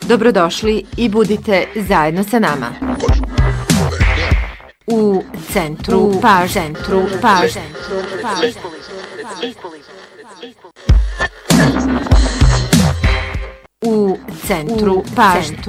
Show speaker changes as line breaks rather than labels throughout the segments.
Dobrodošli i budite zajedno sa nama. U centru pažnje. U centru pažnje.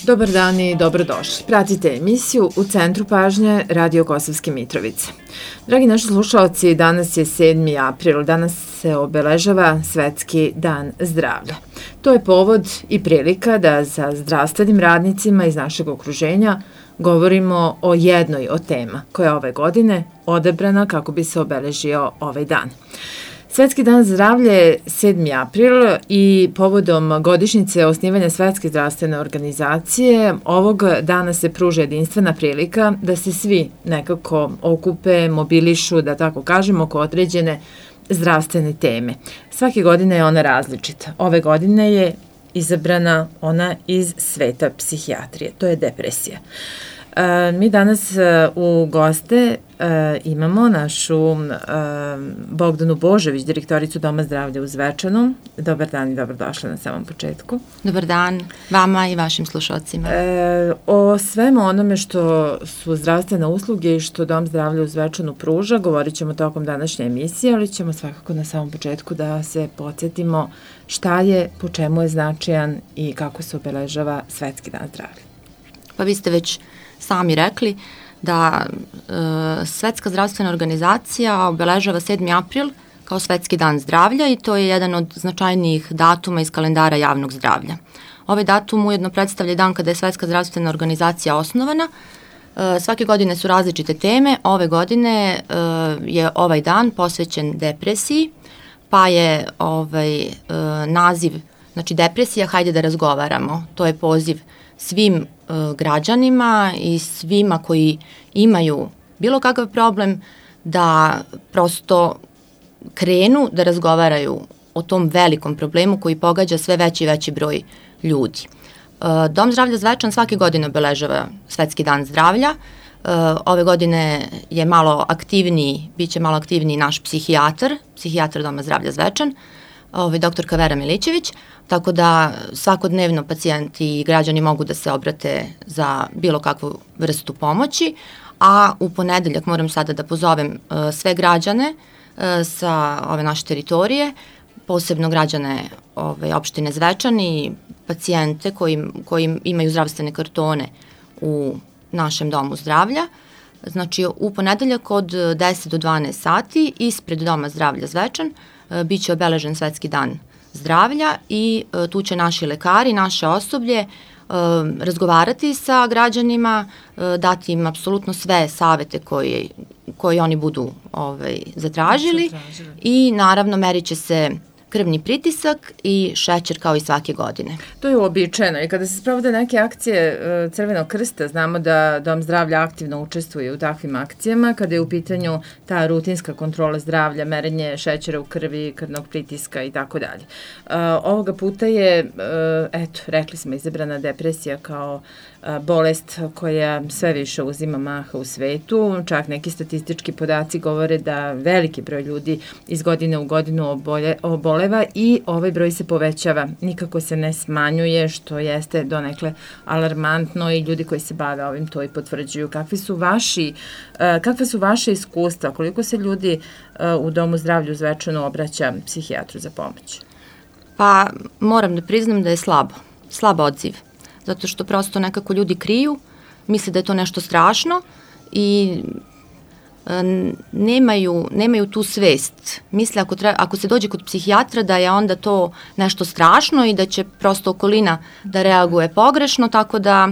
Dobar dan i dobrodošli. Pratite emisiju U centru pažnje Radio Kosovske Mitrovice. Dragi naši slušalci, danas je 7. april. Danas se obeležava Svetski dan zdravlja. To je povod i prilika da sa zdravstvenim radnicima iz našeg okruženja govorimo o jednoj od tema koja je ove godine odabrana kako bi se obeležio ovaj dan. Svetski dan zdravlja je 7. april i povodom godišnjice osnivanja Svetske zdravstvene organizacije ovog dana se pruža jedinstvena prilika da se svi nekako okupe, mobilišu, da tako kažemo, oko određene zdravstvene teme. Svake godine je ona različita. Ove godine je izabrana ona iz sveta psihijatrije, to je depresija. Mi danas u goste imamo našu Bogdanu Božović, direktoricu Doma zdravlja u Zvečanu. Dobar dan i dobrodošla na samom početku.
Dobar dan vama i vašim slušalcima.
O svemu onome što su zdravstvene usluge i što Dom zdravlja u Zvečanu pruža govorit ćemo tokom današnje emisije, ali ćemo svakako na samom početku da se podsjetimo šta je, po čemu je značajan i kako se obeležava Svetski dan zdravlja.
Pa vi ste već sami rekli da Svetska zdravstvena organizacija obeležava 7. april kao Svetski dan zdravlja i to je jedan od značajnijih datuma iz kalendara javnog zdravlja. Ovaj datum ujedno predstavlja dan kada je Svetska zdravstvena organizacija osnovana. Svake godine su različite teme. Ove godine je ovaj dan posvećen depresiji, pa je naziv, znači depresija, hajde da razgovaramo. To je poziv svim građanima i svima koji imaju bilo kakav problem da prosto krenu da razgovaraju o tom velikom problemu koji pogađa sve veći i veći broj ljudi. Dom zdravlja Zvečan svake godine obeležava Svetski dan zdravlja. Ove godine je malo aktivniji, bit će malo aktivniji naš psihijatar Doma zdravlja Zvečan, doktorka Vera Milićević, tako da svakodnevno pacijenti i građani mogu da se obrate za bilo kakvu vrstu pomoći, a u ponedeljak moram sada da pozovem sve građane sa ove naše teritorije, posebno građane opštine Zvečan i pacijente koji imaju zdravstvene kartone u našem domu zdravlja. Znači u ponedeljak od 10 do 12 sati ispred Doma zdravlja Zvečan bit će obeležen Svetski dan zdravlja i tu će naši lekari, naše osoblje razgovarati sa građanima, dati im apsolutno sve savete koje oni budu zatražili i naravno merit će se krvni pritisak i šećer kao i svake godine.
To je uobičajeno i kada se sprovode neke akcije Crvenog krsta, znamo da Dom zdravlja aktivno učestvuje u takvim akcijama, kada je u pitanju ta rutinska kontrola zdravlja, merenje šećera u krvi, krvnog pritiska i tako dalje. Ovoga puta je, rekli smo, izabrana depresija kao bolest koja sve više uzima maha u svetu. Čak neki statistički podaci govore da veliki broj ljudi iz godine u godinu oboleva i ovaj broj se povećava. Nikako se ne smanjuje, što jeste donekle alarmantno i ljudi koji se bave ovim to i potvrđuju. Kakve su vaše iskustva? Koliko se ljudi u Domu zdravlja u Zvečanu obraća psihijatru za pomoć?
Pa moram da priznam da je slab odziv. Zato što prosto nekako ljudi kriju, misle da je to nešto strašno i nemaju tu svest. Misle ako se dođe kod psihijatra da je onda to nešto strašno i da će prosto okolina da reaguje pogrešno, tako da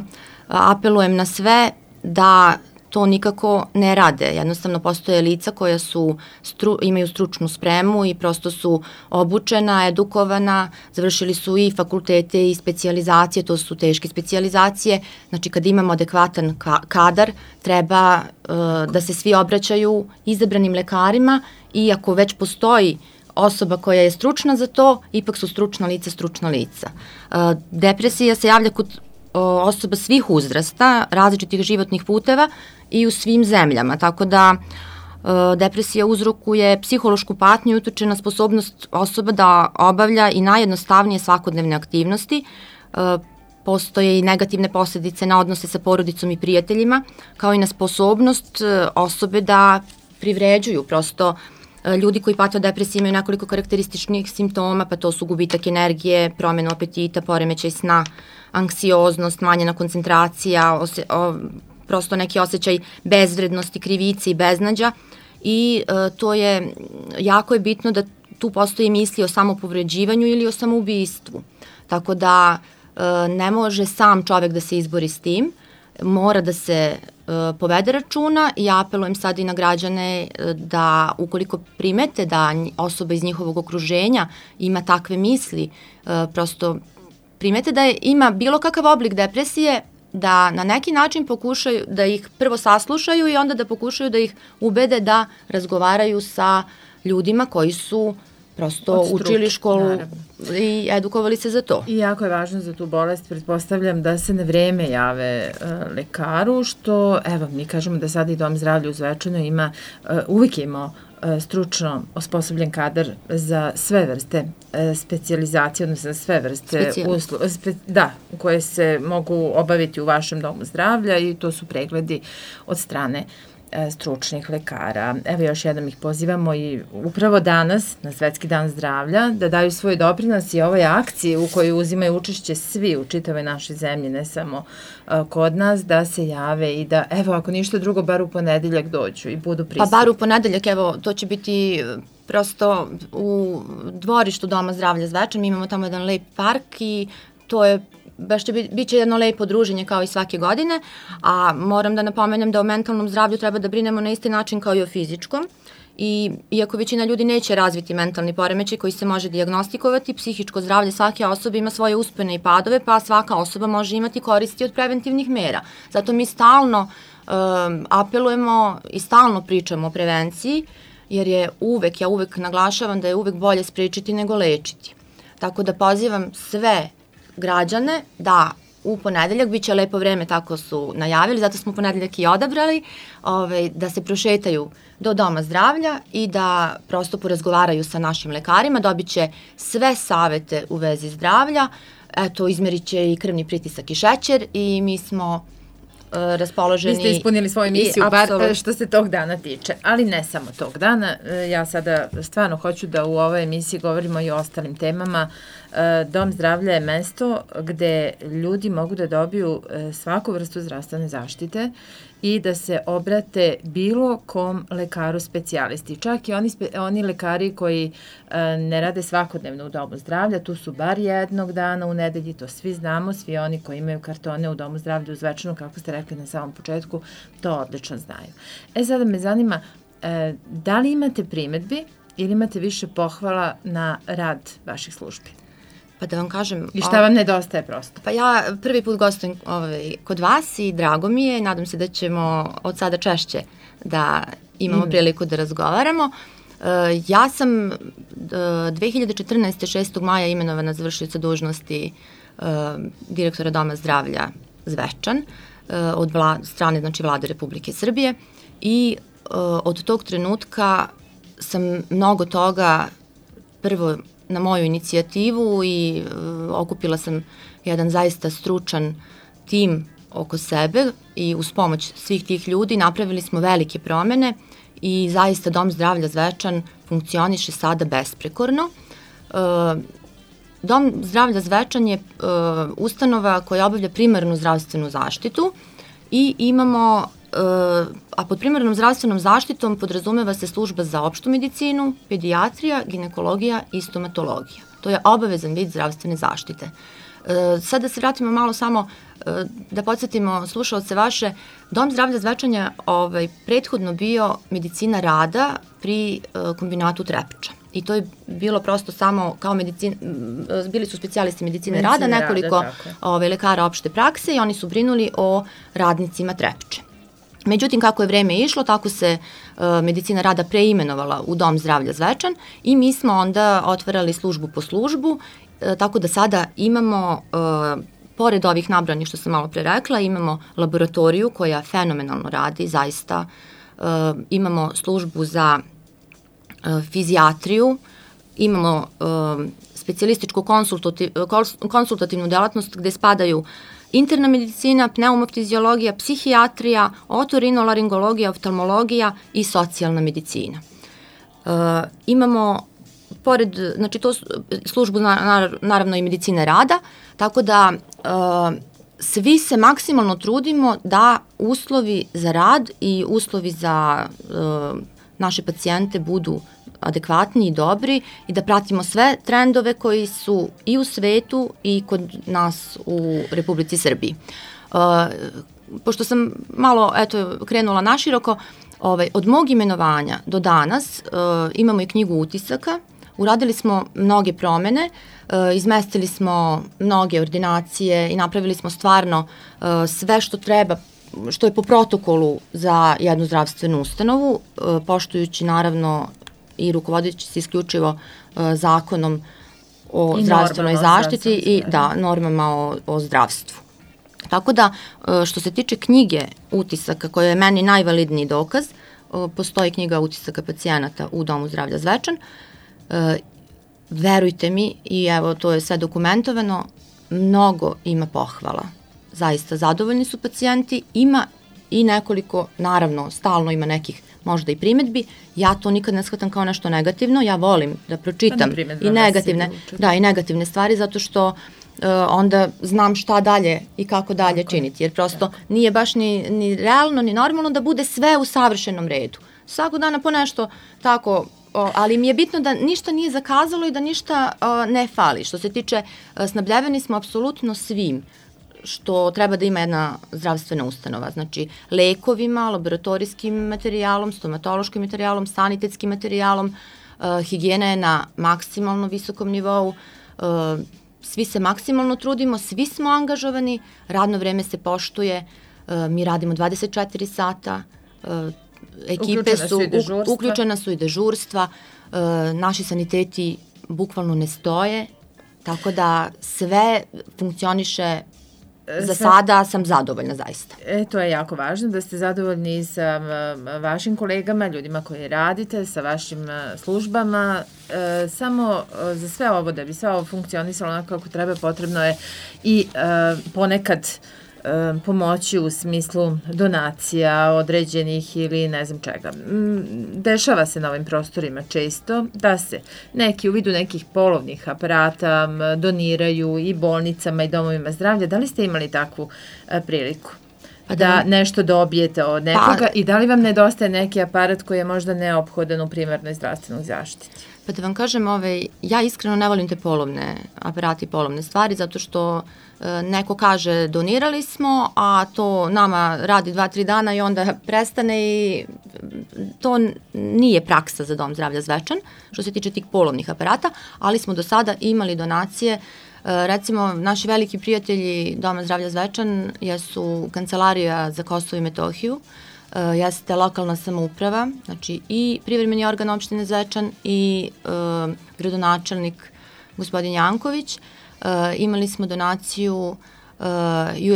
apelujem na sve da to nikako ne rade. Jednostavno postoje lica koja imaju stručnu spremu i prosto su obučena, edukovana, završili su i fakultete i specijalizacije, to su teške specijalizacije. Znači kad imamo adekvatan kadar, treba da se svi obraćaju izabranim lekarima i ako već postoji osoba koja je stručna za to, ipak su stručna lica. Depresija se javlja kod osoba svih uzrasta, različitih životnih puteva i u svim zemljama, tako da depresija uzrokuje psihološku patnju i utiče na sposobnost osoba da obavlja i najjednostavnije svakodnevne aktivnosti. Postoje i negativne posljedice na odnose sa porodicom i prijateljima, kao i na sposobnost osobe da privređuju. Prosto ljudi koji pate od depresije imaju nekoliko karakterističnih simptoma, pa to su gubitak energije, promjena apetita, poremećaj sna, anksioznost, smanjena koncentracija, prosto neki osjećaj bezvrednosti, krivice i beznađa i to je, jako je bitno da tu postoji misli o samopovređivanju ili o samoubistvu. Tako da ne može sam čovek da se izbori s tim, mora da se povede računa i apelujem sad i na građane da ukoliko primete da osoba iz njihovog okruženja ima takve misli, prosto primete da ima bilo kakav oblik depresije, da na neki način pokušaju da ih prvo saslušaju i onda da pokušaju da ih ubede da razgovaraju sa ljudima koji su prosto učili školu, naravno, i edukovali se za to.
I jako je važno za tu bolest, pretpostavljam da se na vreme jave lekaru, što, evo, mi kažemo da sada i Dom zdravlja u Zvečanu ima, uvijek imao stručno osposobljen kadar za sve vrste specijalizacije, odnosno za sve vrste koje se mogu obaviti u vašem domu zdravlja i to su pregledi od strane stručnih lekara. Evo još jednom ih pozivamo i upravo danas, na Svetski dan zdravlja, da daju svoj doprinos i ovoj akciji u kojoj uzimaju učešće svi u čitavoj našoj zemlji, ne samo kod nas, da se jave i da, evo, ako ništa drugo, bar u ponedeljak dođu i budu prisutni.
Pa bar u ponedeljak, evo, to će biti prosto u dvorištu Doma zdravlja Zvečan, mi imamo tamo jedan lep park i to je baš će biće jedno lepo druženje kao i svake godine, a moram da napomenem da o mentalnom zdravlju treba da brinemo na isti način kao i o fizičkom. I iako većina ljudi neće razviti mentalni poremećaj koji se može dijagnostikovati, psihičko zdravlje svake osobe ima svoje uspone i padove, pa svaka osoba može imati koristi od preventivnih mera. Zato mi stalno apelujemo i stalno pričamo o prevenciji, jer je uvek, ja uvek naglašavam da je uvek bolje sprečiti nego lečiti. Tako da pozivam sve građane da u ponedeljak, bit će lepo vreme, tako su najavili, zato smo ponedeljak i odabrali, da se prošetaju do Doma zdravlja i da prosto porazgovaraju sa našim lekarima, dobit će sve savete u vezi zdravlja, eto, izmerit će i krvni pritisak i šećer i mi smo raspoloženi.
Vi ste ispunili svoju misiju, bar što se tog dana tiče, ali ne samo tog dana. Ja sada stvarno hoću da u ovoj emisiji govorimo i o ostalim temama. Dom zdravlja je mesto gde ljudi mogu da dobiju svaku vrstu zdravstvene zaštite i da se obrate bilo kom lekaru specijalisti. Čak i oni lekari koji ne rade svakodnevno u Domu zdravlja, tu su bar jednog dana u nedelji, to svi znamo, svi oni koji imaju kartone u Domu zdravlja u Zvečanu, kako ste rekli na samom početku, to odlično znaju. Sada me zanima, da li imate primetbi ili imate više pohvala na rad vaših službi?
Pa da vam kažem...
I šta vam nedostaje prosto?
Pa ja prvi put gostujem kod vas i drago mi je. Nadam se da ćemo od sada češće da imamo priliku da razgovaramo. Ja sam 2014. 6. maja imenovana za vršioca dužnosti direktora Doma zdravlja Zvečan od strane, znači, Vlade Republike Srbije i od tog trenutka sam mnogo toga prvo na moju inicijativu i okupila sam jedan zaista stručan tim oko sebe i uz pomoć svih tih ljudi napravili smo velike promene i zaista Dom zdravlja Zvečan funkcioniše sada besprekorno. Dom zdravlja Zvečan je ustanova koja obavlja primarnu zdravstvenu zaštitu i imamo, a pod primarnom zdravstvenom zaštitom podrazumeva se služba za opštu medicinu, pedijatrija, ginekologija i stomatologija. To je obavezan vid zdravstvene zaštite. Sad da se vratimo malo samo, da podsjetimo slušalce vaše, Dom zdravlja Zvečan je prethodno bio medicina rada pri kombinatu Trepča. I to je bilo prosto samo kao bili su specijalisti medicine rada, nekoliko lekara opšte prakse i oni su brinuli o radnicima Trepče. Međutim, kako je vreme išlo, tako se medicina rada preimenovala u Dom zdravlja Zvečan i mi smo onda otvarali službu po službu, tako da sada imamo, pored ovih nabranih što sam malo pre rekla, imamo laboratoriju koja fenomenalno radi, zaista imamo službu za fizijatriju, imamo specijalističku konsultativnu delatnost gde spadaju interna medicina, pneumofiziologija, psihijatrija, otorinolaringologija, oftalmologija i socijalna medicina. Imamo, pored, znači to službu naravno i medicine rada, tako da svi se maksimalno trudimo da uslovi za rad i uslovi za naše pacijente budu adekvatni i dobri i da pratimo sve trendove koji su i u svetu i kod nas u Republici Srbiji. Pošto sam malo krenula naširoko, od mog imenovanja do danas imamo i knjigu utisaka, uradili smo mnoge promene, izmestili smo mnoge ordinacije i napravili smo stvarno sve što treba, što je po protokolu za jednu zdravstvenu ustanovu, poštujući naravno i rukovodeći se isključivo zakonom o zdravstvenoj zaštiti i normama o zdravstvu. Tako da, što se tiče knjige utisaka, koja je meni najvalidniji dokaz, postoji knjiga utisaka pacijenata u Domu zdravlja Zvečan, verujte mi, i evo to je sve dokumentovano, mnogo ima pohvala. Zaista zadovoljni su pacijenti, ima i nekoliko, naravno, stalno ima nekih možda i primetbi, ja to nikad ne shvatam kao nešto negativno, ja volim da pročitam i negativne stvari, zato što onda znam šta dalje i kako dalje činiti, jer prosto nije baš ni realno, ni normalno da bude sve u savršenom redu. Svakog dana po nešto tako, ali mi je bitno da ništa nije zakazalo i da ništa ne fali. Što se tiče, snabdljeveni smo apsolutno svim što treba da ima jedna zdravstvena ustanova, znači lekovima, laboratorijskim materijalom, stomatološkim materijalom, sanitetskim materijalom, higijena je na maksimalno visokom nivou, svi se maksimalno trudimo, svi smo angažovani, radno vreme se poštuje, mi radimo 24 sata, ekipe su, uključena su i dežurstva, naši saniteti bukvalno ne stoje, tako da sve funkcioniše. Za sada sam zadovoljna zaista.
To je jako važno da ste zadovoljni sa vašim kolegama, ljudima koji radite, sa vašim službama. Samo za sve ovo, da bi sve ovo funkcionisalo onako kako treba, potrebno je i ponekad pomoći u smislu donacija određenih ili ne znam čega. Dešava se na ovim prostorima često da se neki u vidu nekih polovnih aparata doniraju i bolnicama i domovima zdravlja. Da li ste imali takvu priliku? Da nešto dobijete od nekoga i da li vam nedostaje neki aparat koji je možda neophodan u primarnoj zdravstvenoj zaštiti?
Pa da vam kažem, ja iskreno ne volim te polovne aparate i polovne stvari, zato što neko kaže donirali smo, a to nama radi 2-3 dana i onda prestane i to nije praksa za Dom zdravlja Zvečan, što se tiče tih polovnih aparata, ali smo do sada imali donacije. Recimo, naši veliki prijatelji Doma zdravlja Zvečan jesu Kancelarija za Kosovo i Metohiju, jeste lokalna samouprava, znači i privremeni organ opštine Zvečan i gradonačelnik gospodin Janković. Imali smo donaciju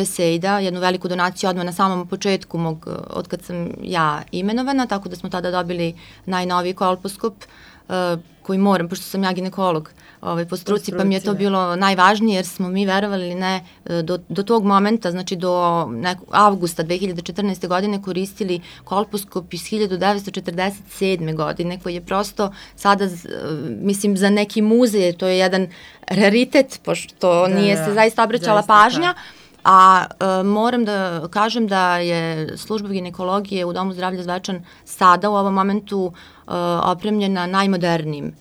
USAID-a, jednu veliku donaciju odmah na samom početku od kad sam ja imenovana, tako da smo tada dobili najnoviji kolposkop koji moram, pošto sam ja ginekolog po struci, pa mi je to bilo najvažnije jer smo mi, verovali ili ne, do tog momenta, znači do avgusta 2014. godine koristili kolposkop iz 1947. godine koji je prosto sada, mislim, za neki muzej, to je jedan raritet, pošto nije se zaista obraćala pažnja, a moram da kažem da je služba ginekologije u Domu zdravlja Zvečan sada u ovom momentu opremljena najmodernijim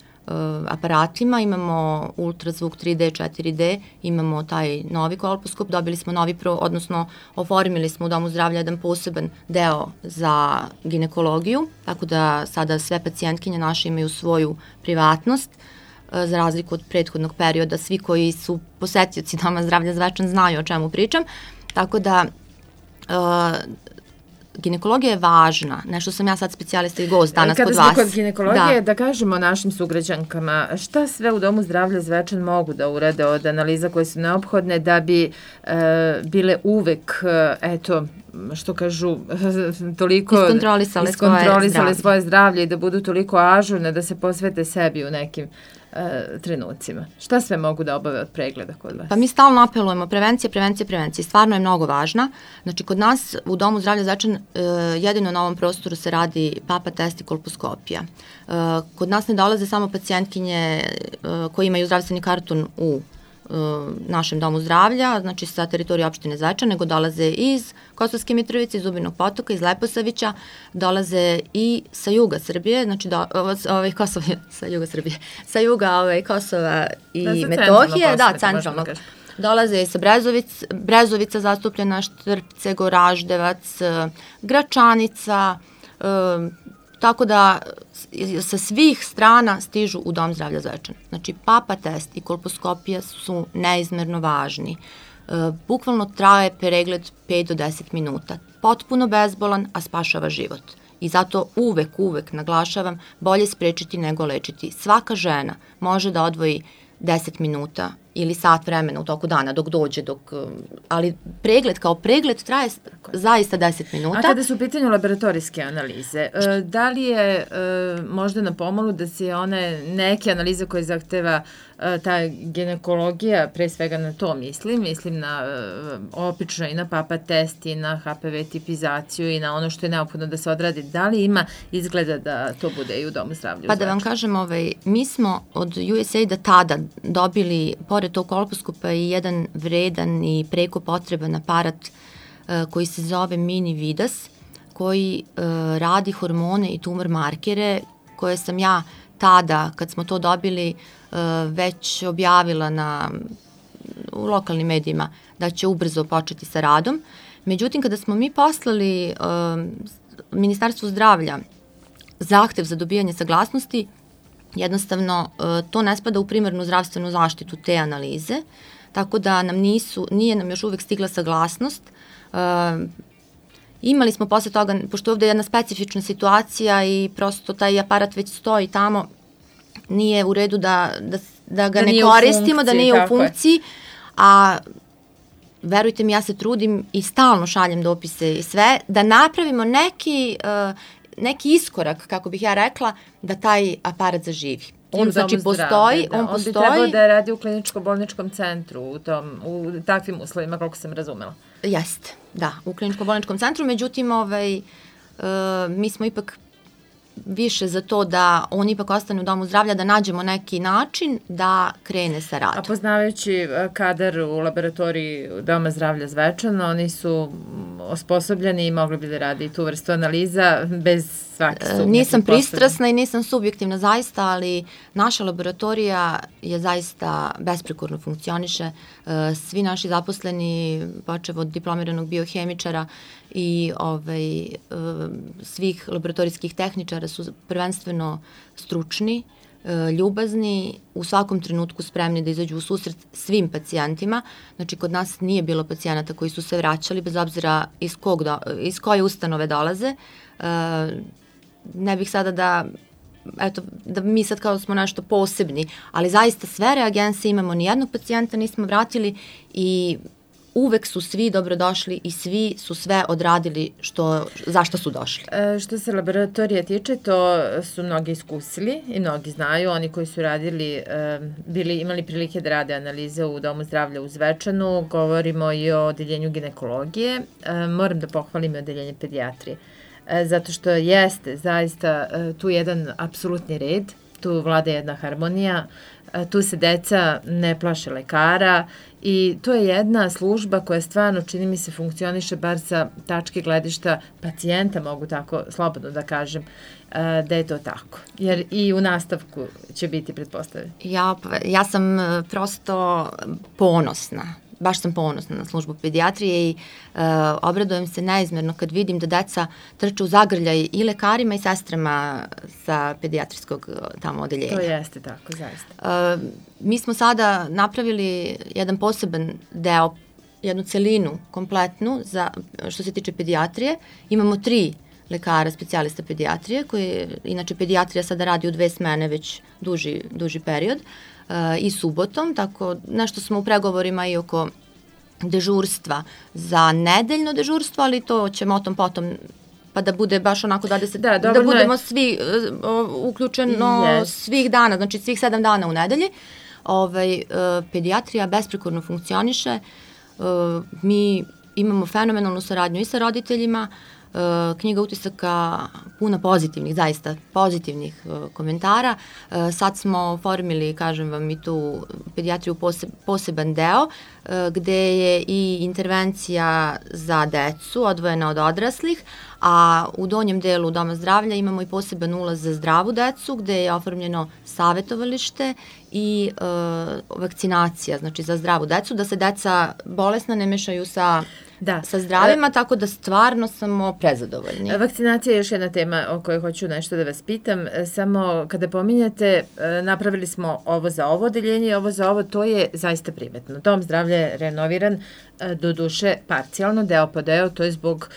aparatima, imamo ultrazvuk 3D, 4D, imamo taj novi kolposkop, dobili smo odnosno oformili smo u Domu zdravlja jedan poseban deo za ginekologiju, tako da sada sve pacijentkinje naše imaju svoju privatnost, za razliku od prethodnog perioda, svi koji su posetioci Doma zdravlja Zvečan znaju o čemu pričam, tako da ginekologija je važna, nešto sam ja sad specijalista i gost danas kod vas.
Kada smo kod ginekologije, da kažemo našim sugrađankama, šta sve u Domu zdravlja Zvečan mogu da urade od analiza koje su neophodne da bi bile uvek, eto, što kažu, toliko iskontrolisale svoje zdravlje i da budu toliko ažurne da se posvete sebi u nekim trenucima. Šta sve mogu da obave od pregleda kod vas?
Pa mi stalno apelujemo prevencija. Stvarno je mnogo važna. Znači, kod nas u Domu zdravlja Zvečan jedino na ovom prostoru se radi papa test i kolposkopija. Kod nas ne dolaze samo pacijentkinje koji imaju zdravstveni karton u našem domu zdravlja, znači sa teritorije opštine Zvečan, nego dolaze iz Kosovske Mitrovice, iz Zubinog Potoka, iz Leposavića, dolaze i sa juga Srbije, znači sa juga Kosova i Metohije, centralnog. Dolaze i sa Brezovica zastupljena, Štrpce, Goraždevac, Gračanica, tako da sa svih strana stižu u Dom zdravlja Zvečan. Znači, papa test i kolposkopija su neizmerno važni. Bukvalno traje pregled 5 do 10 minuta. Potpuno bezbolan, a spašava život. I zato uvek naglašavam, bolje sprečiti nego lečiti. Svaka žena može da odvoji 10 minuta ili sat vremena u toku dana dok dođe, ali pregled kao pregled traje zaista 10 minuta.
A kada su u pitanju laboratorijske analize, da li je možda na pomolu da se one neke analize koje zahteva ta ginekologija, pre svega na to mislim na opično i na papa test i na HPV tipizaciju i na ono što je neophodno da se odradi, da li ima izgleda da to bude i u Domu zdravlja?
Pa da vam kažem, mi smo od USAID-a tada dobili pored tog kolposkopa i jedan vredan i preko potreban aparat koji se zove Mini Vidas, koji radi hormone i tumor markere, koje sam ja tada, kad smo to dobili, već objavila u lokalnim medijima da će ubrzo početi sa radom. Međutim, kada smo mi poslali Ministarstvu zdravlja zahtev za dobijanje saglasnosti, jednostavno to ne spada u primarnu zdravstvenu zaštitu te analize, tako da nije nam još uvek stigla saglasnost. Imali smo posle toga, pošto je ovde jedna specifična situacija i prosto taj aparat već stoji tamo, nije u redu da ga ne koristimo, da nije u funkciji, a verujte mi, ja se trudim i stalno šaljem dopise i sve, da napravimo neki iskorak, kako bih ja rekla, da taj aparat zaživi. On znači postoji,
on bi trebao da radi u kliničko-bolničkom centru u takvim uslovima, koliko sam razumela.
Jeste, da, u kliničko-bolničkom centru, međutim, mi smo ipak više za to da on ipak ostane u Domu zdravlja, da nađemo neki način da krene sa radom.
A poznavajući kadar u laboratoriji Doma zdravlja Zvečan, oni su osposobljeni i mogli bi da radi tu vrstu analiza bez svake sumnje.
Nisam pristrasna i nisam subjektivna zaista, ali naša laboratorija je zaista besprekorno funkcioniše. Svi naši zaposleni, počev od diplomiranog biohemičara i svih laboratorijskih tehničara su prvenstveno stručni, ljubazni, u svakom trenutku spremni da izađu u susret svim pacijentima. Znači, kod nas nije bilo pacijenata koji su se vraćali, bez obzira iz koje ustanove dolaze. Ne bih sada da mi sad kao smo nešto posebni, ali zaista sve reagense imamo, nijednog pacijenta nismo vratili i uvek su svi dobrodošli i svi su sve odradili zašto su došli.
Što se laboratorija tiče, to su mnogi iskusili i mnogi znaju. Oni koji su radili, imali prilike da rade analize u Domu zdravlja u Zvečanu. Govorimo i o odeljenju ginekologije. Moram da pohvalim i odeljenje pedijatrije. Zato što jeste zaista tu jedan apsolutni red, tu vlada jedna harmonija, tu se deca ne plaše lekara i to je jedna služba koja stvarno, čini mi se, funkcioniše bar sa tačke gledišta pacijenta, mogu tako slobodno da kažem, da je to tako. Jer i u nastavku će biti pretpostavljeno.
Ja sam prosto ponosna. Baš sam ponosna na službu pedijatrije i obradujem se neizmerno kad vidim da deca trče u zagrljaj i lekarima i sestrama sa pedijatrijskog tamo odeljenja.
To jeste tako, zaista.
Mi smo sada napravili jedan poseban deo jednu celinu kompletnu što se tiče pedijatrije. Imamo 3 lekara, specijalista pedijatrije, koji inače pedijatrija sada radi u 2 smene već duži period i subotom, tako nešto smo u pregovorima i oko dežurstva za nedeljno dežurstvo, ali to ćemo o tom potom, pa da bude baš onako da budemo svi uključeno svih dana, znači svih 7 dana u nedelji. Pedijatrija besprekorno funkcioniše, mi imamo fenomenalnu saradnju i sa roditeljima, knjiga utisaka puna pozitivnih, zaista pozitivnih komentara. Sad smo oformili, kažem vam, i tu pedijatriju poseban deo, gde je i intervencija za decu odvojena od odraslih, a u donjem delu Doma zdravlja imamo i poseban ulaz za zdravu decu, gde je oformljeno savetovalište i vakcinacija, znači za zdravu decu, da se deca bolesna ne mešaju sa zdravima, tako da stvarno smo prezadovoljni.
Vakcinacija je još jedna tema o kojoj hoću nešto da vas pitam. Samo kada pominjate, napravili smo ovo za ovo odeljenje i ovo za ovo, to je zaista primetno. Dom zdravlja je renoviran, do duše parcijalno, deo po deo, to je zbog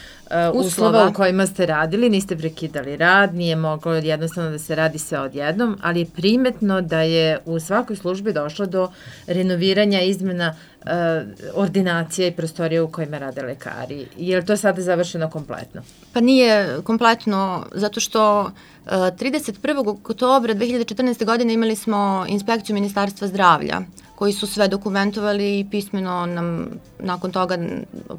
uslova u kojima ste radili, niste prekidali rad, nije moglo jednostavno da se radi sve odjednom, ali je primetno da je u svakoj službi došlo do renoviranja, izmena ordinacija i prostorija u kojima rade lekari. Je li to sada završeno kompletno?
Pa nije kompletno, zato što 31. oktobra 2014. godine imali smo inspekciju Ministarstva zdravlja, koji su sve dokumentovali i pismeno nam nakon toga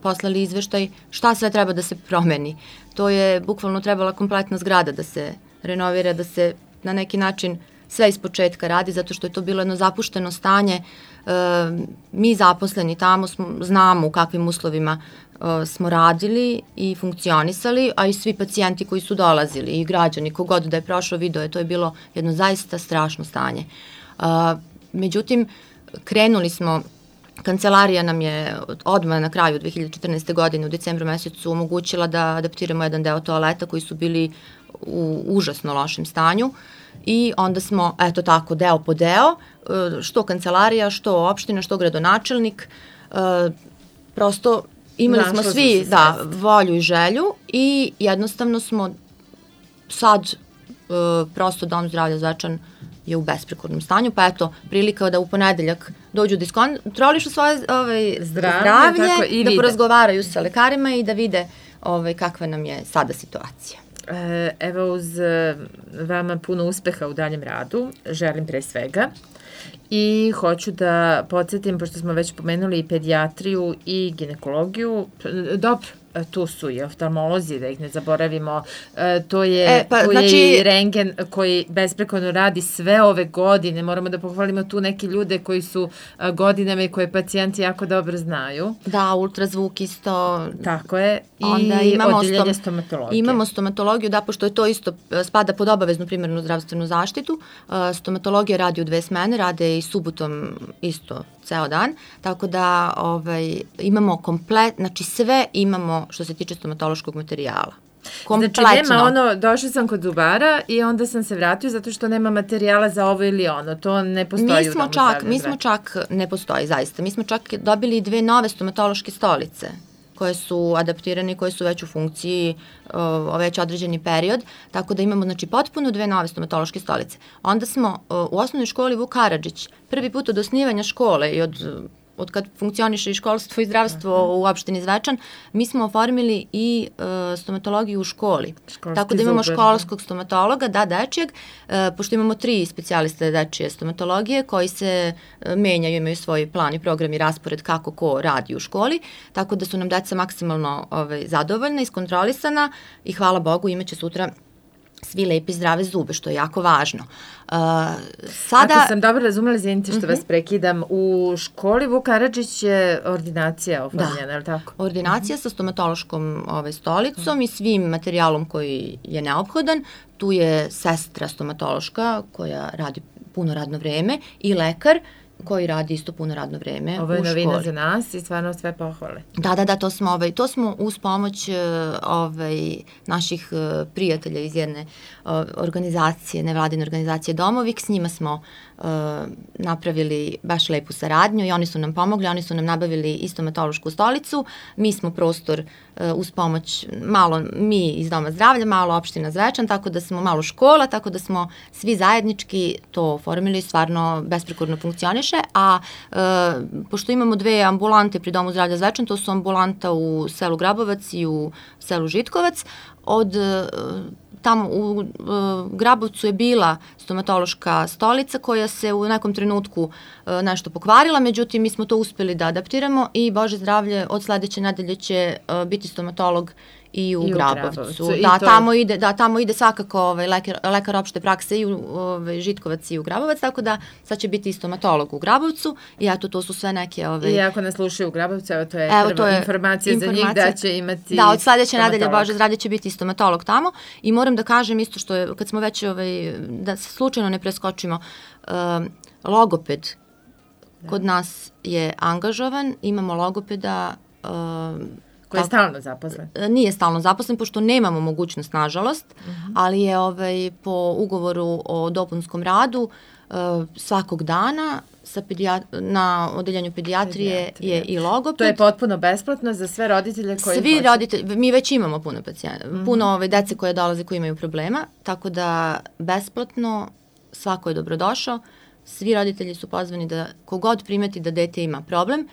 poslali izveštaj šta sve treba da se promeni. To je bukvalno trebala kompletna zgrada da se renovira, da se na neki način sve iz početka radi, zato što je to bilo jedno zapušteno stanje. Mi zaposleni tamo znamo u kakvim uslovima smo radili i funkcionisali, a i svi pacijenti koji su dolazili i građani, kogod da je prošao video, to je bilo jedno zaista strašno stanje. Međutim, krenuli smo, kancelarija nam je odmah na kraju 2014. godine u decembru mesecu omogućila da adaptiramo jedan deo toaleta koji su bili u užasno lošem stanju i onda smo, eto tako, deo po deo, što kancelarija, što opština, što gradonačelnik, prosto imali smo svi volju i želju i jednostavno smo sad prosto Dom zdravlja Zvečan je u besprekornom stanju, pa eto, prilika da u ponedeljak dođu da iskontrolišu svoje zdravlje, da porazgovaraju sa lekarima i da vide kakva nam je sada situacija.
Evo, uz vama puno uspeha u daljem radu, želim pre svega. I hoću da podsjetim, pošto smo već pomenuli i pedijatriju i ginekologiju, dobro, tu su i oftalmolozi, da ih ne zaboravimo, to je i rengen koji besprekorno radi sve ove godine, moramo da pohvalimo tu neke ljude koji su godinama i koje pacijenti jako dobro znaju.
Da, ultrazvuk isto.
Tako je, i odeljenje stomatologije.
Imamo stomatologiju, da, pošto je to isto, spada pod obaveznu primarnu zdravstvenu zaštitu, stomatologija radi u 2 smene, rade i subotom isto ceo dan, tako da imamo znači sve imamo što se tiče stomatološkog materijala.
Kompletno. Znači nema došla sam kod zubara i onda sam se vratio zato što nema materijala za ovo ili ono, to ne postoji u Domu zdravlja.
Mi smo čak, ne postoji zaista, mi smo čak dobili 2 nove stomatološke stolice koje su adaptirane i koje su već u funkciji već određeni period, tako da imamo znači potpuno 2 nove stomatološke stolice. Onda smo u osnovnoj školi Vuk Karadžić, prvi put od osnivanja škole i od kad funkcioniše i školstvo i zdravstvo u opštini Zvečan, mi smo oformili i stomatologiju u školi. Tako da imamo školskog stomatologa, dečijeg, pošto imamo 3 specijaliste dečije stomatologije koji se menjaju, imaju svoj plan i program i raspored kako ko radi u školi, tako da su nam deca maksimalno zadovoljna, iskontrolisana i hvala Bogu imaće sutra svi lepi zdrave zube, što je jako važno.
Ako sam dobro razumela, izvinite što vas prekidam, u školi Vuk Karadžić je ordinacija oformljena, je li tako?
Ordinacija sa stomatološkom stolicom i svim materijalom koji je neophodan. Tu je sestra stomatološka koja radi puno radno vreme i lekar koji radi isto puno radno vreme u školi.
Ovo je novina za nas i stvarno sve pohvale.
Da, to smo uz pomoć naših prijatelja iz jedne organizacije, nevladine organizacije Domovik, s njima smo napravili baš lepu saradnju i oni su nam pomogli, oni su nam nabavili i stomatološku stolicu, mi smo prostor uz pomoć, malo mi iz Doma zdravlja, malo opština Zvečan, tako da smo malo škola, tako da smo svi zajednički to oformili, stvarno besprekorno funkcioniše, a pošto imamo 2 ambulante pri Domu zdravlja Zvečan, to su ambulanta u selu Grabovac i u selu Žitkovac, tamo u Grabovcu je bila stomatološka stolica koja se u nekom trenutku nešto pokvarila, međutim mi smo to uspeli da adaptiramo i Bože zdravlje od sledeće nedelje će biti stomatolog i u Grabovcu. Tamo ide svakako lekar opšte prakse i u Žitkovac i u Grabovac, tako da sad će biti i stomatolog u Grabovcu i eto to su sve neke...
I ako nas slušaju u Grabovcu, to je prva informacija za njih da će imati...
Da, od sledeće nedelje Bože zdravlje će biti i stomatolog tamo i moram da kažem isto što je, kad smo već, da se slučajno ne preskočimo, logoped kod nas je angažovan, imamo logopeda...
Koji je stalno zaposlen?
Nije stalno zaposlen, pošto nemamo mogućnost, nažalost, ali je po ugovoru o dopunskom radu svakog dana na odeljenju pedijatrije je i logoped.
To je potpuno besplatno za sve roditelje koji
Svi roditelji, mi već imamo puno pacijenta, puno dece koje dolaze koji imaju problema, tako da besplatno svako je dobrodošao, svi roditelji su pozvani da kogod primeti da dete ima problem,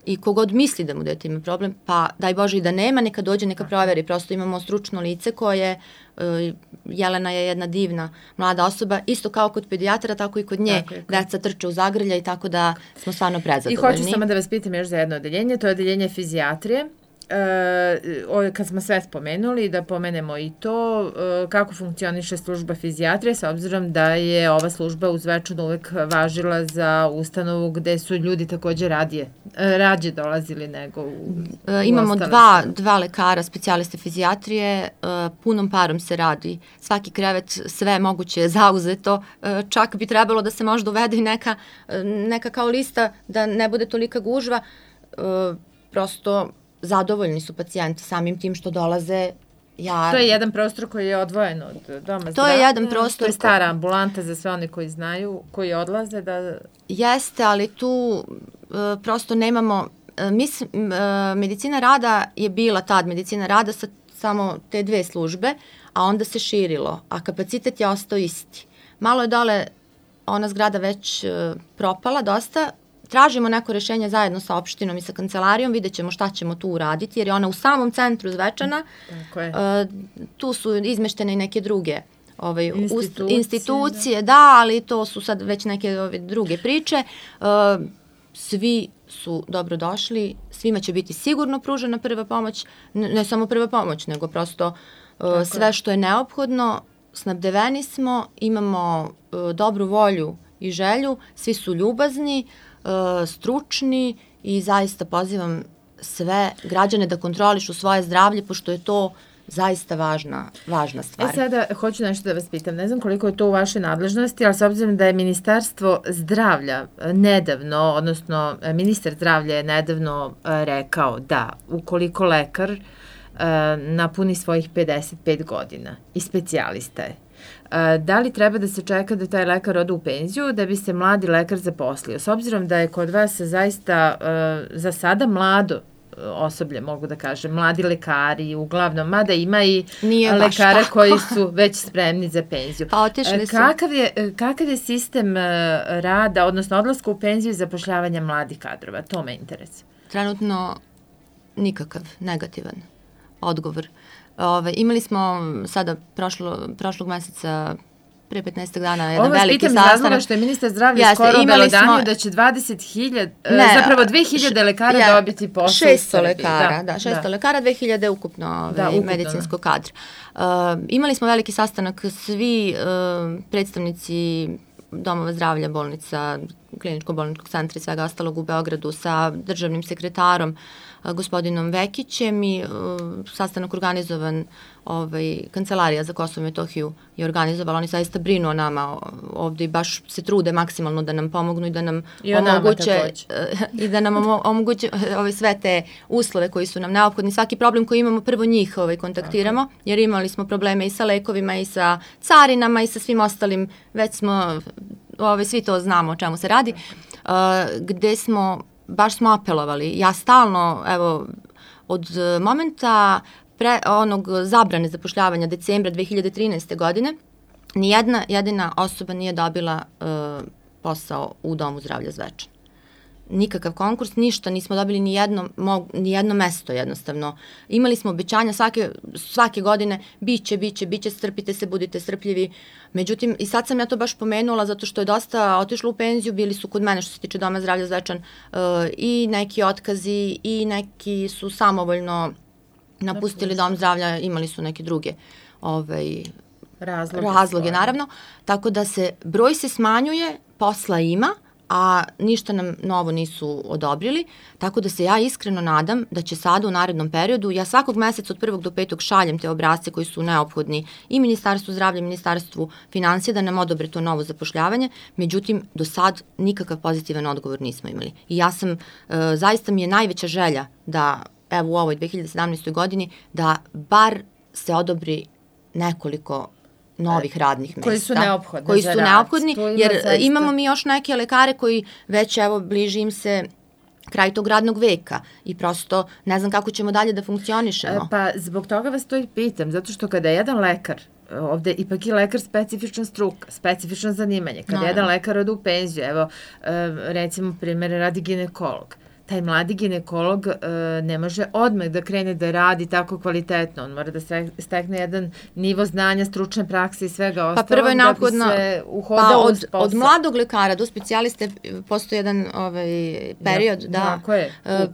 i kogod misli da mu dete ima problem, pa daj Bože i da nema, neka dođe, neka proveri. Prosto imamo stručno lice koje, Jelena je jedna divna mlada osoba, isto kao kod pedijatra, tako i kod nje. Deca trče u zagrlja i tako da smo stvarno prezadovoljni.
I hoću samo da vas pitam još za jedno odeljenje, to je odeljenje fizijatrije. Kad smo sve spomenuli, da pomenemo i to kako funkcioniše služba fizijatrije, s obzirom da je ova služba u Zvečanu uvek važila za ustanovu gde su ljudi takođe rađe dolazili nego u
Imamo dva lekara, specijaliste fizijatrije, punom parom se radi. Svaki krevet, sve moguće je zauzeto, čak bi trebalo da se možda uvede i neka kao lista da ne bude tolika gužva, prosto zadovoljni su pacijenti samim tim što dolaze.
To je jedan prostor koji je odvojen od Doma zdravlja.
To je jedan prostor.
To je stara ambulanta za sve one koji znaju, koji odlaze da...
Jeste, ali tu prosto nemamo... Medicina rada je bila tad medicina rada sa samo te 2 službe, a onda se širilo, a kapacitet je ostao isti. Malo je dole ona zgrada već propala dosta. Tražimo neko rešenje zajedno sa opštinom i sa kancelarijom, vidjet ćemo šta ćemo tu uraditi, jer je ona u samom centru Zvečana. Tu su izmeštene i neke druge institucije, da, ali to su sad već neke druge priče. Svi su dobrodošli, svima će biti sigurno pružena prva pomoć, ne samo prva pomoć, nego prosto sve što je neophodno, snabdeveni smo, imamo dobru volju i želju, svi su ljubazni, stručni i zaista pozivam sve građane da kontrolišu svoje zdravlje, pošto je to zaista važna stvar.
Sada hoću nešto da vas pitam, ne znam koliko je to u vašoj nadležnosti, ali s obzirom da je Ministarstvo zdravlja nedavno, odnosno ministar zdravlja je nedavno rekao da ukoliko lekar napuni svojih 55 godina i specijalista je, da li treba da se čeka da taj lekar ode u penziju da bi se mladi lekar zaposlio? S obzirom da je kod vas zaista za sada mlado osoblje, mogu da kažem, mladi lekari, uglavnom, mada ima i lekara koji su već spremni za penziju.
Pa otišli su.
Kakav je sistem rada, odnosno odlaska u penziju i zapošljavanja mladih kadrova? To me interesuje.
Trenutno nikakav, negativan odgovor. Imali smo sada prošlog meseca pre 15 dana jedan veliki sastanak. Ovo vas pitam iz razloga
što je ministar zdravlja skoro obelodanio da će 2000 lekara dobiti posao u Srbiji.
600 lekara, 2000 ukupno medicinskog kadra. Imali smo veliki sastanak, svi predstavnici domova zdravlja, bolnica, kliničko-bolničkog centra i svega ostalog u Beogradu sa državnim sekretarom gospodinom Vekićem i sastanak organizovan, Kancelarija za Kosovo i Metohiju je organizovala, oni zaista brinu o nama ovde i baš se trude maksimalno da nam pomognu i da nam omoguće sve te uslove koji su nam neophodni. Svaki problem koji imamo prvo njih kontaktiramo, jer imali smo probleme i sa lekovima i sa carinama i sa svim ostalim, već smo, svi to znamo o čemu se radi, gde baš smo apelovali. Ja stalno, od momenta onog zabrane zapošljavanja decembra 2013. godine, nijedna jedina osoba nije dobila posao u Domu zdravlja Zvečan. Nikakav konkurs, ništa, nismo dobili ni jedno mesto jednostavno. Imali smo obećanja svake godine, biće, strpite se, budite strpljivi. Međutim, i sad sam ja to baš pomenula zato što je dosta otišlo u penziju, bili su kod mene što se tiče Doma zdravlja Zvečan i neki otkazi i neki su samovoljno napustili Dom zdravlja, imali su neke druge razloge naravno. Tako da broj se smanjuje, posla ima, a ništa nam novo nisu odobrili, tako da se ja iskreno nadam da će sada u narednom periodu, ja svakog meseca od 1. do 5. šaljem te obrasce koji su neophodni i Ministarstvu zdravlja i Ministarstvu finansija da nam odobre to novo zapošljavanje, međutim do sad nikakav pozitivan odgovor nismo imali. I ja sam, zaista mi je najveća želja da u ovoj 2017. godini da bar se odobri nekoliko novih radnih mesta.
Koji su neophodni.
Jer imamo mi još neke lekare koji već bliži im se kraj tog radnog veka i prosto ne znam kako ćemo dalje da funkcionišemo.
Pa zbog toga vas to i pitam, zato što kada jedan lekar, ovde ipak je lekar specifična struka, specifično zanimanje, kada jedan lekar ode u penziju, recimo primjer radi ginekolog, taj mladi ginekolog ne može odmah da krene da radi tako kvalitetno. On mora da stekne jedan nivo znanja, stručne prakse i svega ostalog.
Pa prvo je neophodno, od mladog lekara do specijaliste postoji jedan period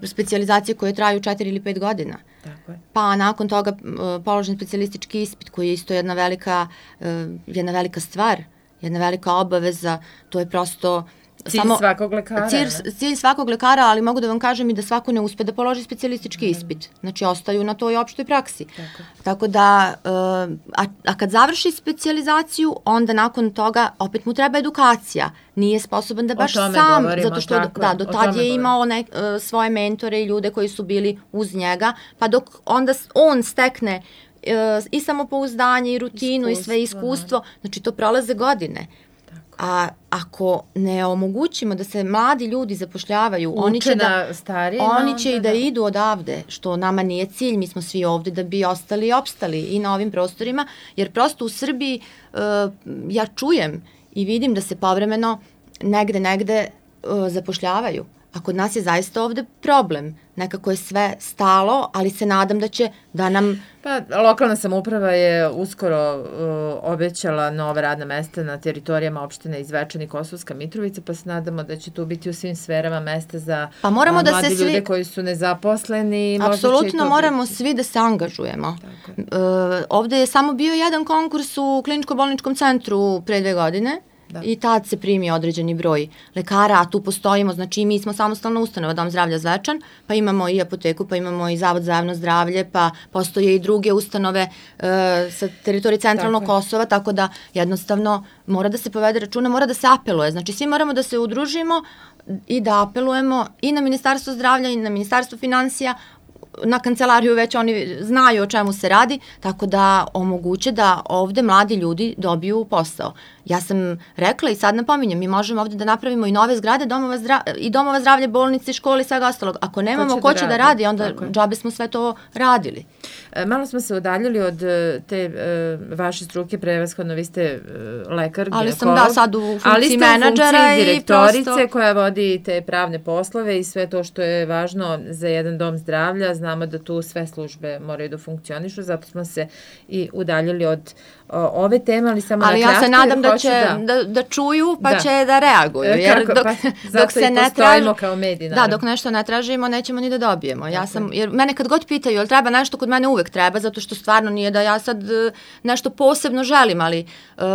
specijalizacije koje traju 4 ili 5 godina. Pa nakon toga položen specijalistički ispit koji je isto jedna velika stvar, jedna velika obaveza, to je prosto Cilj svakog lekara, ali mogu da vam kažem i da svako ne uspe da položi specijalistički ispit. Znači, ostaju na toj opštoj praksi. Tako da, a kad završi specijalizaciju, onda nakon toga opet mu treba edukacija. Nije sposoban da baš sam, zato što do tad je imao svoje mentore i ljude koji su bili uz njega, pa dok onda on stekne i samopouzdanje i rutinu i sve iskustvo, znači to prolaze godine. A ako ne omogućimo da se mladi ljudi zapošljavaju, oni će i da idu odavde, što nama nije cilj, mi smo svi ovde da bi ostali i opstali i na ovim prostorima, jer prosto u Srbiji ja čujem i vidim da se povremeno negde zapošljavaju. A kod nas je zaista ovde problem. Nekako je sve stalo, ali se nadam da će da nam...
Pa, lokalna samouprava je uskoro obećala nova radna mesta na teritorijama opštine Zvečan i Kosovska Mitrovica, pa se nadamo da će tu biti u svim sferama mesta za mladi ljude koji su nezaposleni.
Apsolutno moramo svi da se angažujemo. Ovde je samo bio jedan konkurs u kliničko-bolničkom centru pre 2 godine, i tad se primi određeni broj lekara, a tu postojimo, znači mi smo samostalna ustanova Dom zdravlja Zvečan, pa imamo i apoteku, pa imamo i Zavod za javno zdravlje, pa postoje i druge ustanove sa teritorije centralnog Kosova, tako da jednostavno mora da se povede računa, mora da se apeluje, znači svi moramo da se udružimo i da apelujemo i na Ministarstvo zdravlja i na Ministarstvo finansija, na kancelariju već oni znaju o čemu se radi, tako da omoguće da ovde mladi ljudi dobiju posao. Ja sam rekla i sad napominjem, mi možemo ovde da napravimo i nove zgrade domova zdravlja, bolnice, škole i svega ostalog. Ako nemamo ko će da radi, onda džabe smo sve to radili.
Malo smo se udaljili od te vaše struke, prevashodno vi ste lekar,
ali ginekolog. Ali sam sad u funkciji menadžera i
direktorice koja vodi te pravne poslove i sve to što je važno za jedan dom zdravlja. Znamo da tu sve službe moraju da funkcionišu, zato smo se i udaljili od ove teme, ali samo
ali
na kratko.
Ali ja se nadam da čuju pa će da reaguju. Jer dok se ne
postojimo kao mediji.
Da, dok nešto ne tražimo, nećemo ni da dobijemo. Jer mene kad god pitaju, jel treba nešto, kod mene uvek treba, zato što stvarno nije da ja sad nešto posebno želim, ali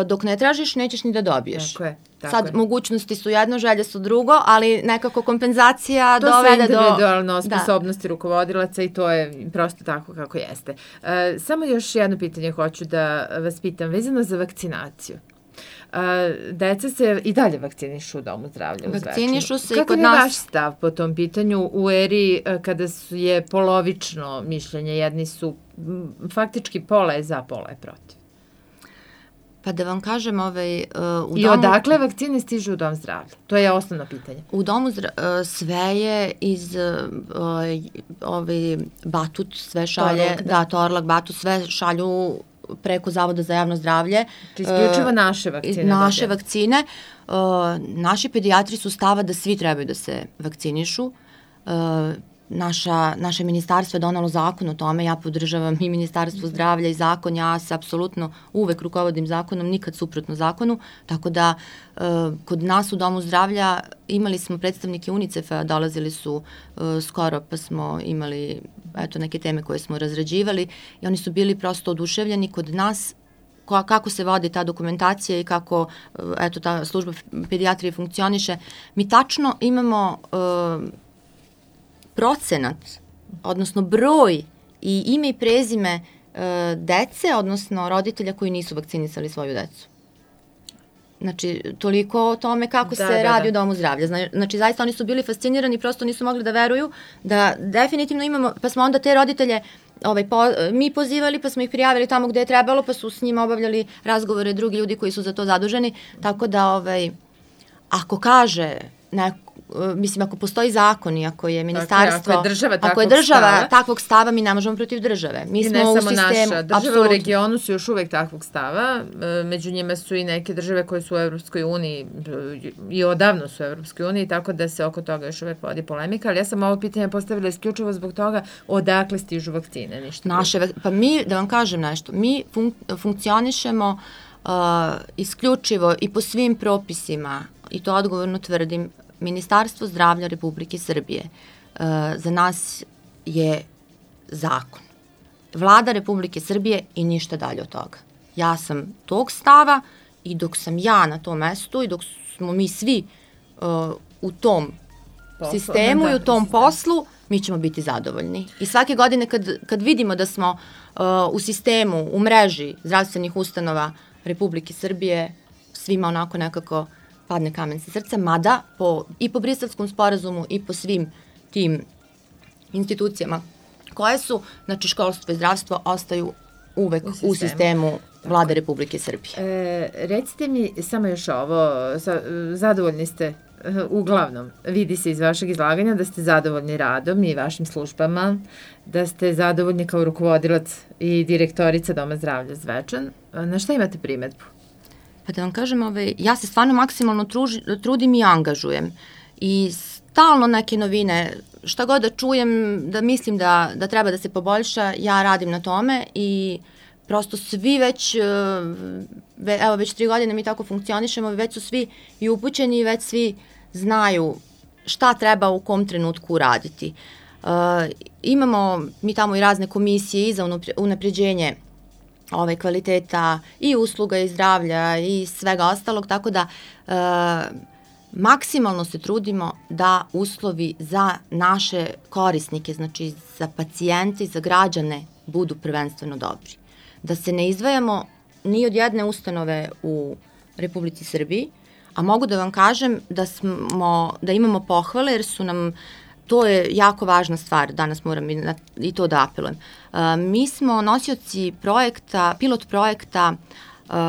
dok ne tražiš, nećeš ni da dobiješ.
Tako je.
Sad mogućnosti su jedno, želje su drugo, ali nekako kompenzacija dovede do...
To su individualno sposobnosti rukovodilaca i to je prosto tako kako jeste. Samo još jedno pitanje hoću da vas pitam, vezano za vakcinaciju. Deca se i dalje vakcinišu u Domu zdravlja u Zvečanu.
Vakcinišu se i kod nas...
Kakav je vaš stav po tom pitanju u eri kada je polovično mišljenje, jedni su faktički pola je za, pola je protiv?
Pa da vam kažem,
I odakle vakcine stižu u Dom zdravlja? To je osnovno pitanje.
U Domu zdravlja sve je iz Batut, sve šalje, Torlak, Batut, sve šalju preko Zavoda za javno zdravlje.
Isključivo naše vakcine.
Naše vakcine. Naši pedijatri su stava da svi trebaju da se vakcinišu. Naše ministarstvo je donalo zakon o tome, ja podržavam i Ministarstvo zdravlja i zakon, ja se apsolutno uvek rukovodim zakonom, nikad suprotno zakonu, tako da kod nas u Domu zdravlja imali smo predstavnike UNICEF-a, dolazili su skoro pa smo imali neke teme koje smo razrađivali i oni su bili prosto oduševljeni kod nas kako se vodi ta dokumentacija i kako ta služba pedijatrije funkcioniše. Mi tačno imamo procenat, odnosno broj i ime i prezime dece, odnosno roditelja koji nisu vakcinisali svoju decu. Znači, toliko o tome kako se radi u Domu zdravlja. Znači, zaista oni su bili fascinirani, prosto nisu mogli da veruju da definitivno imamo, pa smo onda te roditelje mi pozivali, pa smo ih prijavili tamo gde je trebalo, pa su s njima obavljali razgovore drugi ljudi koji su za to zaduženi, tako da ako kaže mislim, ako postoji zakon i ako je ministarstvo, ako je država takvog stava, mi ne možemo protiv države. Mi smo u sistemu,
naša država u regionu su još uvek takvog stava, među njima su i neke države koje su u Evropskoj uniji i odavno su u Evropskoj uniji, tako da se oko toga još uvek vodi polemika, ali ja sam ovo pitanje postavila isključivo zbog toga odakle stižu vakcine, ništa.
Pa mi, da vam kažem nešto, mi funkcionišemo isključivo i po svim propisima, i to odgovorno tvrdim, Ministarstvo zdravlja Republike Srbije za nas je zakon. Vlada Republike Srbije i ništa dalje od toga. Ja sam tog stava i dok sam ja na tom mestu i dok smo mi svi u tom sistemu i u tom poslu, mi ćemo biti zadovoljni. I svake godine kad vidimo da smo u sistemu, u mreži zdravstvenih ustanova Republike Srbije, svima onako nekako padne kamen sa srca, mada i po Briselskom sporazumu i po svim tim institucijama koje su, znači školstvo i zdravstvo ostaju uvek u sistemu Vlade Republike Srbije.
Recite mi samo još ovo, zadovoljni ste uglavnom, vidi se iz vašeg izlaganja da ste zadovoljni radom i vašim službama, da ste zadovoljni kao rukovodilac i direktorica Doma zdravlja Zvečan. Na šta imate primedbu?
Pa da vam kažem, ja se stvarno maksimalno trudim i angažujem i stalno neke novine, šta god da čujem, da mislim da treba da se poboljša, ja radim na tome i prosto svi već 3 godine mi tako funkcionišemo, već su svi i upućeni i već svi znaju šta treba u kom trenutku uraditi. Imamo mi tamo i razne komisije i za unapređenje kvaliteta i usluga i zdravlja i svega ostalog, tako da maksimalno se trudimo da uslovi za naše korisnike, znači za pacijente i za građane budu prvenstveno dobri. Da se ne izdvajamo ni od jedne ustanove u Republici Srbiji, a mogu da vam kažem da imamo pohvale jer su nam, to je jako važna stvar, danas moram i to da apelujem. Mi smo nosioci pilot projekta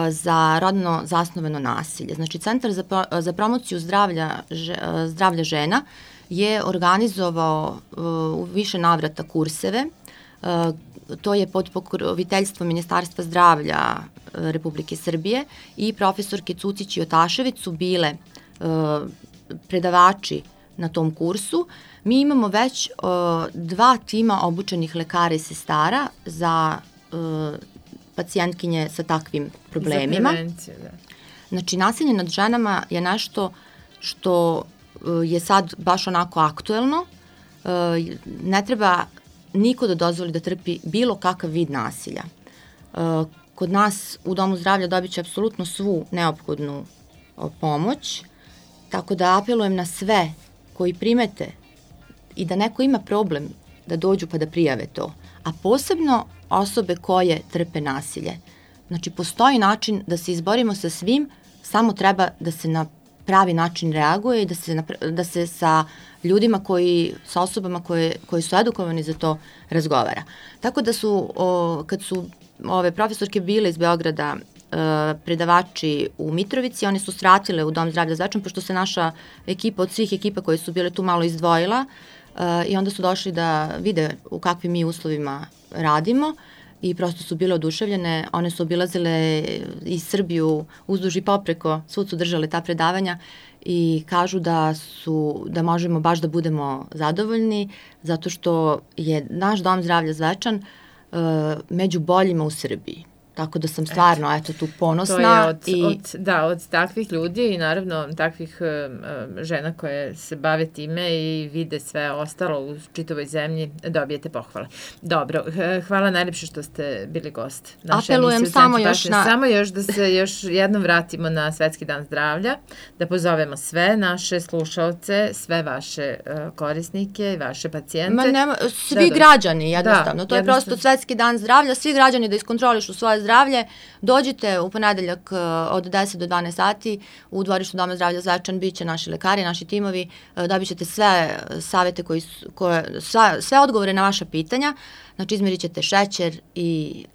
za rodno zasnovano nasilje. Znači, Centar za promociju zdravlja žena je organizovao u više navrata kurseve. To je pod pokroviteljstvom Ministarstva zdravlja Republike Srbije i profesorke Cucić i Otašević su bile predavači na tom kursu. Mi imamo već 2 tima obučenih lekara i sestara za pacijentkinje sa takvim problemima.
Za prevenciju, da.
Znači, nasilje nad ženama je nešto što je sad baš onako aktuelno. Ne treba niko da dozvoli da trpi bilo kakav vid nasilja. Kod nas u Domu zdravlja dobit će apsolutno svu neophodnu pomoć, tako da apelujem na sve koji primete i da neko ima problem da dođu pa da prijave to, a posebno osobe koje trpe nasilje. Znači, postoji način da se izborimo sa svim, samo treba da se na pravi način reaguje i da se sa ljudima sa osobama koji su edukovani za to razgovara. Tako da kad su ove profesorke bile iz Beograda predavači u Mitrovici, oni su svratile u Dom zdravlja Zvečan, pošto se naša ekipa od svih ekipa koje su bile tu malo izdvojila i onda su došli da vide u kakvim mi uslovima radimo i prosto su bile oduševljene. One su obilazile i Srbiju uzduž i popreko, svud su držale ta predavanja i kažu da možemo baš da budemo zadovoljni zato što je naš Dom zdravlja Zvečan među boljima u Srbiji. Tako da sam stvarno tu ponosna.
To je od takvih ljudi i naravno takvih žena koje se bave time i vide sve ostalo u čitavoj zemlji, dobijete pohvale. Dobro, hvala najljepše što ste bili gost naše emisije u Centru Pažnje. Samo još da se još jednom vratimo na Svetski dan zdravlja, da pozovemo sve naše slušaoce, sve vaše korisnike i vaše pacijente.
Svi građani jednostavno. To je prosto Svetski dan zdravlja, svi građani da iskontrolišu svoje zdravlje. Dođite u ponedeljak od 10 do 12 sati u dvorištu Doma zdravlja Zvečan, bit će naši lekari, naši timovi, dobit ćete sve savete, sve odgovore na vaša pitanja, znači izmerit ćete šećer i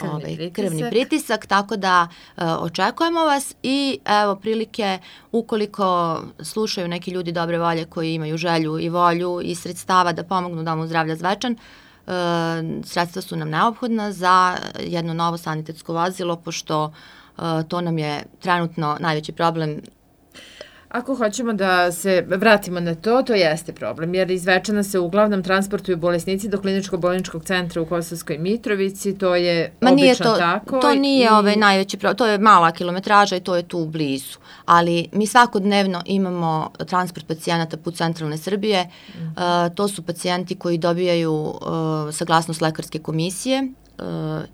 krvni pritisak, tako da očekujemo vas i evo prilike ukoliko slušaju neki ljudi dobre volje koji imaju želju i volju i sredstava da pomognu Domu zdravlja Zvečan. Sredstva su nam neophodna za jedno novo sanitetsko vozilo, pošto to nam je trenutno najveći problem.
Ako hoćemo da se vratimo na to jeste problem, jer iz Zvečana se uglavnom transportuju bolesnici do kliničko-bolničkog centra u Kosovskoj Mitrovici, to je obično tako.
To nije najveći problem, to je mala kilometraža i to je tu blizu, ali mi svakodnevno imamo transport pacijenata put centralne Srbije, to su pacijenti koji dobijaju saglasnost lekarske komisije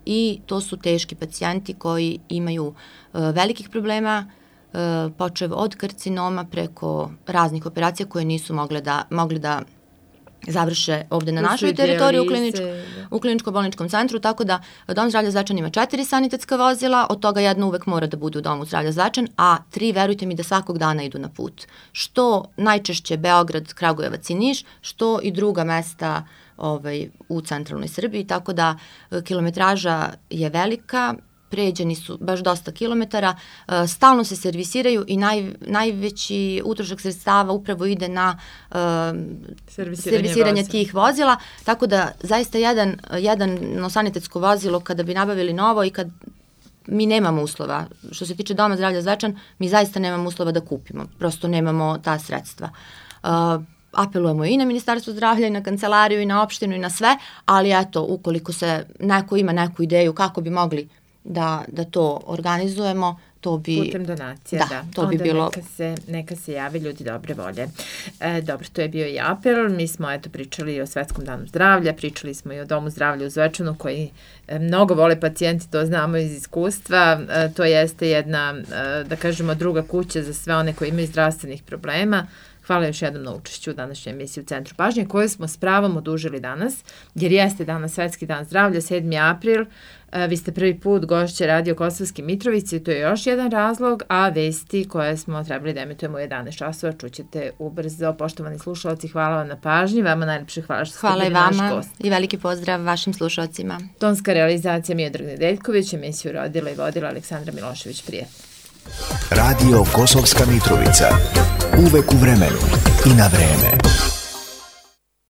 i to su teški pacijenti koji imaju velikih problema, počev od karcinoma preko raznih operacija koje nisu mogli da završe ovde na našoj teritoriji u kliničko-bolničkom centru, tako da Dom zdravlja Zvečan ima 4 sanitetska vozila, od toga jedno uvek mora da bude u Domu zdravlja Zvečan, a 3, verujte mi, da svakog dana idu na put. Što najčešće Beograd, Kragujevac i Niš, što i druga mesta u centralnoj Srbiji, tako da kilometraža je velika, pređeni su baš dosta kilometara, stalno se servisiraju i najveći utrošak sredstava upravo ide na servisiranje tih vozila, tako da zaista jedno sanitetsko vozilo kada bi nabavili novo i kad mi nemamo uslova, što se tiče Doma zdravlja Zvečan, mi zaista nemamo uslova da kupimo, prosto nemamo ta sredstva. Apelujemo i na Ministarstvo zdravlja i na kancelariju i na opštinu i na sve, ali eto, ukoliko se neko ima neku ideju kako bi mogli da to organizujemo, to bi...
Putem donacija, da. To bi bilo... Neka se javi ljudi dobre volje. Dobro, to je bio i apel. Mi smo pričali o Svetskom danu zdravlja, pričali smo i o Domu zdravlja u Zvečanu koji mnogo vole pacijenti, to znamo iz iskustva. To jeste jedna, da kažemo, druga kuća za sve one koji imaju zdravstvenih problema. Hvala još jednom na učešću u današnjoj emisiji u Centru pažnje, koju smo s pravom odužili danas, jer jeste danas Svetski dan zdravlja, 7. april. Vi ste prvi put gošće Radio Kosovske Mitrovice, to je još jedan razlog, a vesti koje smo trebali da emitujemo u 11 časova čućete ubrzo. Poštovani slušalci, hvala vam na pažnji, vama najlepše hvala što ste bili naš gost.
Hvala i vama i veliki pozdrav vašim slušalcima.
Tonska realizacija Miodrag Nedeljković, emisiju rodila i vodila Aleksandra Milošević. Prijetno.
Radio Kosovska Mitrovica, uvek u vremenu i na vreme.